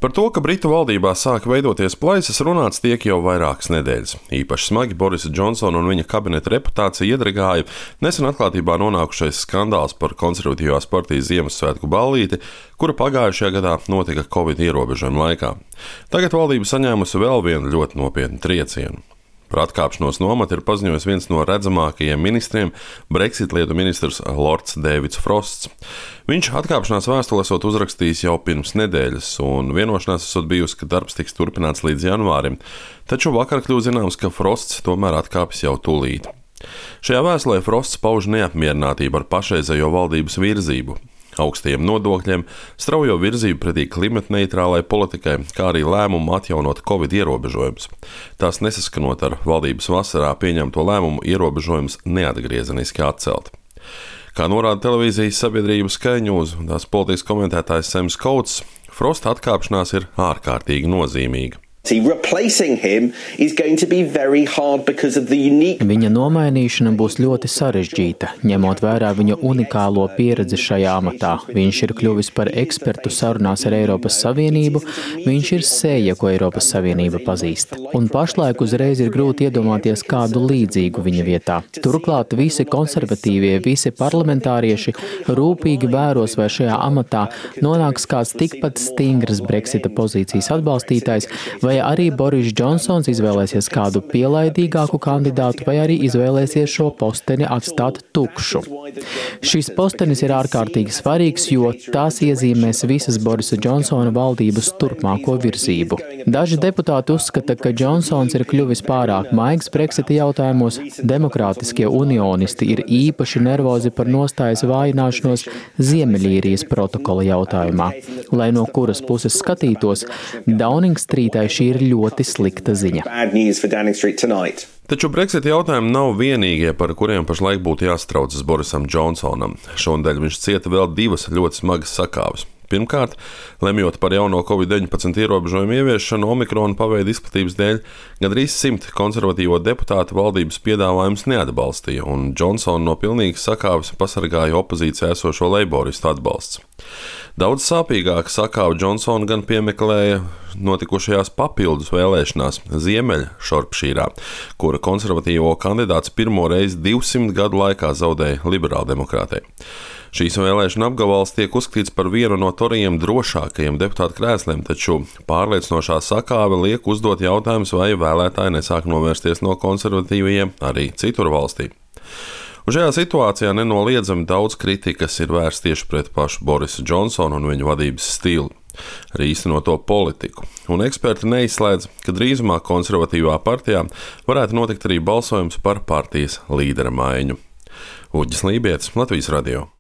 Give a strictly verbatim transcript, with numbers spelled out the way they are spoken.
Par to, ka Britu valdībā sāk veidoties plaisas, runāts tiek jau vairākas nedēļas. Īpaši smagi Borisa Džonsona un viņa kabineta reputācija iedragāja nesen atklātībā nonākušais skandāls par konservatīvās partijas Ziemassvētku ballīti, kura pagājušajā gadā notika Covid ierobežojuma laikā. Tagad valdība saņēmusi vēl vienu ļoti nopietnu triecienu. Par atkāpšanos no amata ir paziņojis viens no redzamākajiem ministriem - Brexit lietu ministrs Lords Deivids Frosts. Viņš atkāpšanās vēstuli esot uzrakstījis jau pirms nedēļas, un vienošanās esot bijusi, ka darbs tiks turpināts līdz janvārim, taču vakar kļuva zināms, ka Frosts tomēr atkāpjas jau tūlīt. Šajā vēstulē Frosts pauž neapmierinātību ar pašreizējo valdības virzību, augstajiem nodokļiem, straujo virzību pretī klimatneitrālai politikai, kā arī lēmumu atjaunot Covid ierobežojumus. Tās nesaskanot ar valdības vasarā pieņemto lēmumu ierobežojumus neatgriezeniski atcelt. Kā norāda televīzijas sabiedrība Sky News un tās politikas komentētājs Sams Coates, Frosta atkāpšanās ir ārkārtīgi nozīmīga. Viņa nomainīšana būs ļoti sarežģīta, ņemot vērā viņa unikālo pieredzi šajā amatā. Viņš ir kļuvis par ekspertu sarunās ar Eiropas Savienību, viņš ir sēja, ko Eiropas Savienība pazīst. Un pašlaik uzreiz ir grūti iedomāties kādu līdzīgu viņa vietā. Turklāt visi konservatīvie, visi parlamentārieši rūpīgi vēros, vai šajā amatā nonāks kāds tikpat stingrs Brexita pozīcijas atbalstītājs, vai arī Boris Džonsons izvēlēsies kādu pielaidīgāku kandidātu, vai arī izvēlēsies šo posteni atstāt tukšu. Šis postenis ir ārkārtīgi svarīgs, jo tās iezīmēs visas Borisa Džonsona valdības turpmāko virzību. Daži deputāti uzskata, ka Džonsons ir kļuvis pārāk maigs Brexita jautājumos. Demokrātiskie unionisti ir īpaši nervozi par nostājas vājināšanos Ziemeļīrijas protokola jautājumā. Lai no kuras puses skatītos, Downing Streetai šī ir ļoti slikta ziņa. Taču Brexit jautājumi nav vienīgie, par kuriem pašlaik būtu jāstraucas Borisam Džonsonam. Šonadēļ viņš cieta vēl divas ļoti smagas sakāves. Pirmkārt, lemjot par jauno Covid deviņpadsmit ierobežojumu ieviešanu Omikrona paveida izplatības dēļ, gandrīz simt konservatīvo deputātu valdības piedāvājums neatbalstīja, un Džonsonu no pilnīgas sakāves pasargāja opozīcijā esošo leiboristu atbalsts. Daudz sāpīgāk sakāvu Džonsonu gan piemeklēja notikušajās papildus vēlēšanās Ziemeļšorpšīrā, kura konservatīvo kandidāts pirmo reizi divsimt gadu laikā zaudēja liberāldemokrātei. Šīs vēlēšana apgabals tiek uzskatīts par vienu no torijiem drošākajiem deputātu krēsliem, taču pārliecinošā sakāve liek uzdot jautājumus, vai vēlētāji nesāk novērsties no konservatīvajiem arī citur valstī. Un šajā situācijā nenoliedzami daudz kritikas ir vērsts tieši pret pašu Borisu Džonsonu un viņa vadības stilu, arī īstenoto politiku. Un eksperti neizslēdz, ka drīzumā konservatīvā partijā varētu notikt arī balsojums par partijas līdera maiņu. Uģis Lībietis, Latvijas radio.